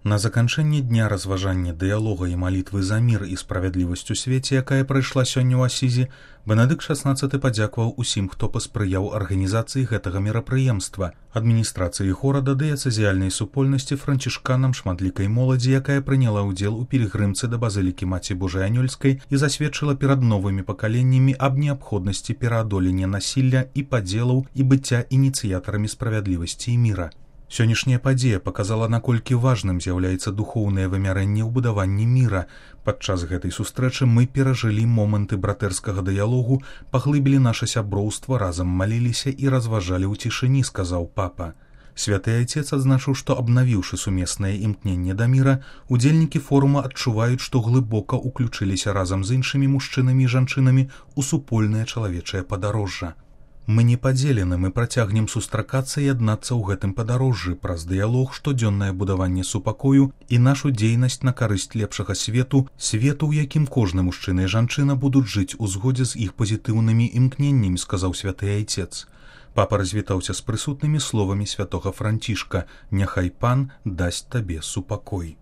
На заканчэнне дня разважання дыялога і малітвы за мір і справядлівасць у свеце, якая прайшла сёння ў Асізе, Бенедыкт XVI падзякаваў усім, хто паспрыяў арганізацыі гэтага мерапрыемства, адміністрацыі горада, дыяцэзіяльнай супольнасці, францішканам, шматлікай моладзі, якая прыняла ўдзел у пілігрымцы да базылікі Маці Божай Анёльскай і засведчыла перад новымі пакаленнямі аб неабходнасці пераадолення насілля і падзелаў і быцця ініцыятарамі справядлівасці і міра. Сённяшняя падзея паказала, наколькі важным з'яўляецца духоўнае вымярэнне ў будаванні міра. Падчас гэтай сустрэчы мы перажылі моманты братэрскага дыялогу, паглыбілі наша сяброўства, разам маліліся і разважалі ў цішыні, сказаў папа. Святы Айцец адзначыў, што, абнавіўшы сумеснае імкненне да міра, удзельнікі форума адчуваюць, што глыбока ўключыліся разам з іншымі мужчынамі і жанчынамі ў супольнае чалавечае падарожжа. Мы не падзелены, мы працягнем сустракацца і аднацца ў гэтым падарожжы праз дыялог, штодзённае будаванне супакою і нашу дзейнасць на карысць лепшага свету, у якім кожны мужчына і жанчына будуць жыць у згодзе з іх пазітыўнымі імкненнямі, сказаў святы Айцец. Папа развітаўся з прысутнымі словамі святога Францішка: «Няхай пан дасць табе супакой».